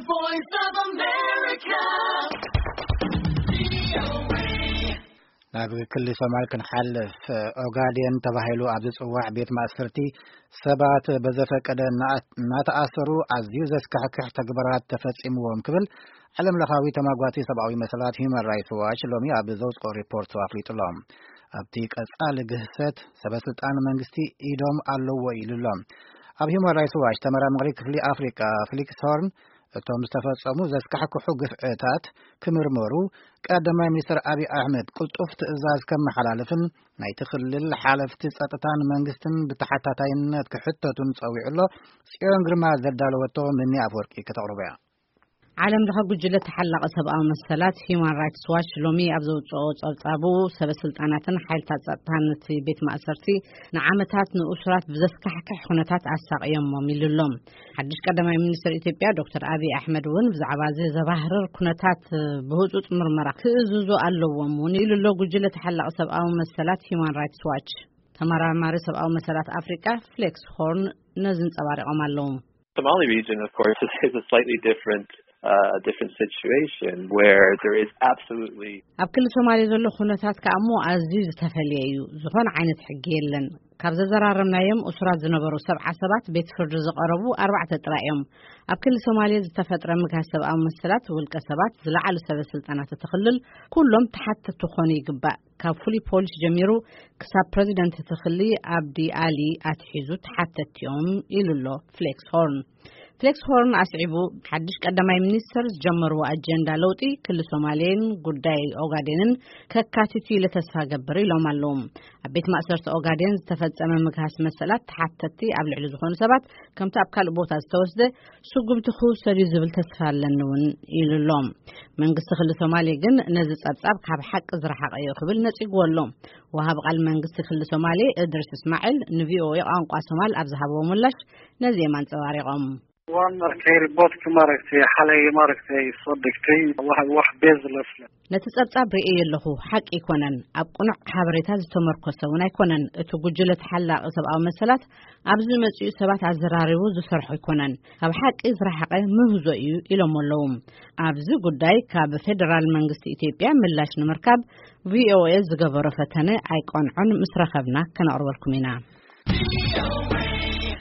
Voice of America. ናብ ክሊ ሶማል ክንሓልፍ፣ ኦጋዴን ተባሂሉ ኣብ ዝጽዋዕ ቤት ማእሰርቲ ሰባት በዘፈቀደ እናኣ-፣ እናተኣሰሩ ኣዝዩ ዘስካሕክሕ ተግባራት ተፈጺምዎም ክብል ዓለም ለኻዊ ተማጓቲ ሰብኣዊ መሰላት ሂውማን ራይትስ ዋች ሎሚ ኣብ ዘውጽኦ ሪፖርቱ ኣፍሊጡ ኣሎ። ኣብቲ ቀጻሊ ግህሰት ሰበ ስልጣን መንግስቲ ኢዶም ኣለዎ ኢሉ ኣሎ። ኣብ ሂውማን ራይትስ ዋች ተመራማሪ ክፍሊ ኣፍሪቃ ፍሊክስ ሆርን፣ እቶም ዝተፈጸሙ ዘስካሕክሑ ግፍዕታት ክምርመሩ ቀዳማይ ሚኒስትር ኣብይ ኣሕመድ ቅልጡፍ ትእዛዝ ከመሓላልፍን ናይቲ ክልል ሓለፍቲ ጸጥታን መንግስትን ብተሓታታይነት ክሕተቱን ጸዊዑ ኣሎ። ጽዮን ግርማ ዘዳለወቶ ምኒ ኣፍወርቂ ከተቕርቦ እያ። ዓለም ለኸ ጉጅለ ተሓላቒ ሰብኣዊ መሰላት ሂውማን ራይትስ ዋች ሎሚ ኣብ ዘውፅኦ ጸብጻቡ፣ ሰበ ስልጣናትን ሓይልታት ጸጥታን እቲ ቤት ማእሰርቲ ንዓመታት ንእሱራት ብዘስካሕክሕ ኩነታት ኣሳቕዮሞም ኢሉ ኣሎ። ሓድሽ ቀዳማይ ሚኒስትር ኢትዮጵያ ዶክተር ኣብይ ኣሕመድ እውን ብዛዕባ እዚ ዘባህርር ኩነታት ብህጹጽ ምርመራ ክእዝዙ ኣለዎም እውን ኢሉ ኣሎ። ጉጅለ ተሓላቒ ሰብኣዊ መሰላት ሂውማን ራይትስ ዋች ተመራማሪ ሰብኣዊ መሰላት ኣፍሪቃ ፍሌክስ ሆርን ነዚ እንጸባሪቖም ኣለዉ። Somali region, of course, is a slightly different, uh, different situation where there is absolutely ኣብ ክሊ ሶማሌ ዘሎ ኩነታት ከኣ እሞ ኣዝዩ ዝተፈልየ እዩ። ዝኾነ ዓይነት ሕጊ የለን። ካብ ዘዘራረብናዮም እሱራት ዝነበሩ ሰብዓ ሰባት ቤት ፍርዲ ዝቐረቡ ኣርባዕተ ጥራይ እዮም። ኣብ ክሊ ሶማሌ ዝተፈጥረ ምግሃስ ሰብኣዊ መሰላት ውልቀ ሰባት፣ ዝለዓሉ ሰበ ስልጣናት እቲ ክልል ኩሎም ተሓተቲ ክኾኑ ይግባእ። ካብ ፍሉይ ፖሊስ ጀሚሩ ክሳብ ፕረዚደንት እቲ ክሊ ኣብዲ ኣሊ ኣትሒዙ ተሓተቲ እዮም ኢሉ ኣሎ ፍሌክስ ሆርን። ፍሌክስ ሆርን ኣስዒቡ፣ ሓድሽ ቀዳማይ ሚኒስትር ዝጀመርዎ ኣጀንዳ ለውጢ ክሊ ሶማሌን ጉዳይ ኦጋዴንን ከካቲቱ ኢለ ተስፋ ገብር ኢሎም ኣለዉ። ኣብ ቤት ማእሰርቲ ኦጋዴን ዝተፈጸመ ምግሃስ መሰላት ተሓተቲ ኣብ ልዕሊ ዝኾኑ ሰባት ከምቲ ኣብ ካልእ ቦታ ዝተወስደ ስጉምቲ ክውሰድ እዩ ዝብል ተስፋ ኣለኒ እውን ኢሉ ኣሎ። መንግስቲ ክሊ ሶማሌ ግን ነዚ ጸብጻብ ካብ ሓቂ ዝረሓቐ እዩ ክብል ነጺግዎ ኣሎ። ወሃቢ ቃል መንግስቲ ክሊ ሶማሌ እድሪስ እስማዒል ንቪኦኤ ቋንቋ ሶማል ኣብ ዝሃብዎ ምላሽ ነዚ እዮም ኣንጸባሪቖም። Waan arkay report-ka, maaragtay, xalay, maaragtay, soo dhigtay, wax, wax baseless leh. ነቲ ጸብጻብ ርእየ ኣለኹ፣ ሓቂ ኣይኮነን፣ ኣብ ቅኑዕ ሓበሬታ ዝተመርኮሰ እውን ኣይኮነን። እቲ ጉጅለ ተሓላቒ ሰብኣዊ መሰላት ኣብዚ መጺኡ ሰባት ኣዘራሪቡ ዝሰርሖ ኣይኮነን፣ ካብ ሓቂ ዝረሓቐ ምህዞ እዩ ኢሎም ኣለዉ። ኣብዚ ጉዳይ ካብ ፌደራል መንግስቲ ኢትዮጵያ ምላሽ ንምርካብ ቪኦኤ ዝገበሮ ፈተነ ኣይቀንዖን፣ ምስ ረኸብና ከነቕርበልኩም ኢና።